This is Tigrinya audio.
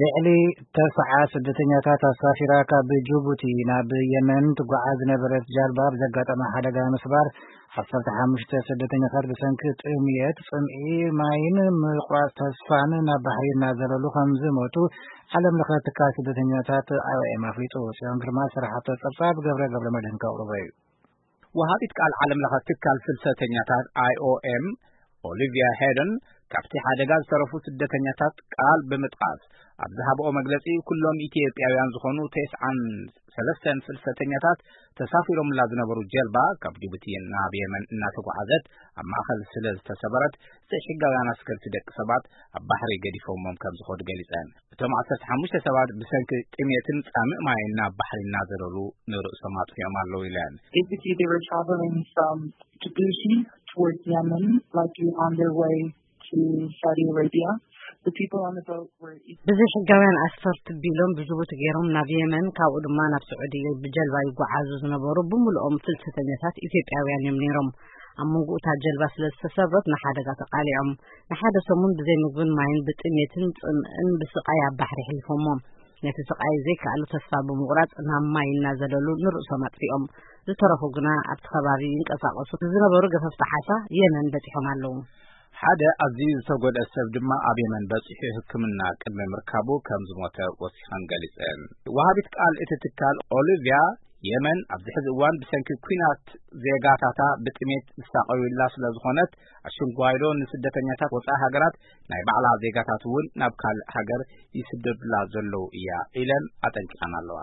ልዕሊ ተስዓ ስደተኛታት ኣሳፊራ ካብ ጅቡቲ ናብ የመን ትጓዓዝ ዝነበረት ጃልባ ብዘጋጠመ ሓደጋ ምስባር፣ ዓሰርተ ሓሙሽተ ስደተኛታት ብሰንኪ ጥምየት፣ ጽምኢ ማይን ምቁራጽ ተስፋን ናብ ባሕሪ እናዘለሉ ከም ዝሞቱ ዓለም ለኸ ትካል ስደተኛታት ኣይ ኦ ኤም ኣፍሊጡ። ጽዮን ግርማ ዝሰራሓቶ ጸብጻብ ገብረ ገብረ መድህን ከቕርቦ እዩ። ወሃቢት ቃል ዓለም ለኸ ትካል ፍልሰተኛታት ኣይ ኦ ኤም ኦሊቪያ ሄደን ካብቲ ሓደጋ ዝተረፉ ስደተኛታት ቃል ብምጥቃስ፣ ኣብ ዝሃብኦ መግለጺ፣ ኩሎም ኢትዮጵያውያን ዝኾኑ ተስዓን ሰለስተን ፍልሰተኛታት ተሳፊሮምላ ዝነበሩ ጀልባ ካብ ጅቡቲ ናብ የመን እናተጓዓዘት ኣብ ማእኸል ስለ ዝተሰበረት፣ ዘይሕጋውያን ኣስከርቲ ደቂ ሰባት ኣብ ባሕሪ ገዲፎሞም ከም ዝኾዱ ገሊጸን። እቶም ዓሰርተ ሓሙሽተ ሰባት ብሰንኪ ጥሜትን ጻምእ ማይን ናብ ባሕሪ እናዘለሉ ንርእሶም ኣጥፊኦም ኣለዉ ኢለን። Basically, they were traveling from Djibouti towards Yemen, likely on their way to Saudi Arabia. The people on the boat were ብዘይሕጋውያን ኣስፈርቲ ቢሎም ብጅቡቲ ገይሮም ናብ የመን፣ ካብኡ ድማ ናብ ስዑዲ ብጀልባ ይጓዓዙ ዝነበሩ ብምልኦም ፍልሰተኛታት ኢትዮጵያውያን እዮም ነይሮም። ኣብ መንጎ እታ ጀልባ ስለ ዝተሰብረት ንሓደጋ ተቓሊዖም። ንሓደ ሰሙን ብዘይ ምግብን ማይን ብጥሜትን ጽምእን ብስቓይ ኣብ ባሕሪ ኣሕሊፎሞ። ነቲ ስቓይ ዘይከኣሉ ተስፋ ብምቑራጽ ናብ ማይ እናዘለሉ ንርእሶም ኣጥፊኦም። ዝተረፉ ግና ኣብቲ ከባቢ ይንቀሳቐሱ ዝነበሩ ገፈፍቲ ዓሳ የመን በጺሖም ኣለዉ። ሓደ ኣዝዩ ዝተጎድአ ሰብ ድማ ኣብ የመን በጺሑ ሕክምና ቅድሚ ምርካቡ ከም ዝሞተ ወሲኸን ገሊጸን። ወሃቢት ቃል እቲ ትካል ኦሊቪያ፣ የመን ኣብዚ ሕዚ እዋን ብሰንኪ ኲናት ዜጋታታ ብጥሜት ዝሳቐዩላ ስለ ዝኾነት፣ ኣሽንጓይዶ ንስደተኛታት ወጻኢ ሃገራት ናይ ባዕላ ዜጋታት እውን ናብ ካልእ ሃገር ይስደዱላ ዘለዉ እያ ኢለን ኣጠንቂቐን ኣለዋ።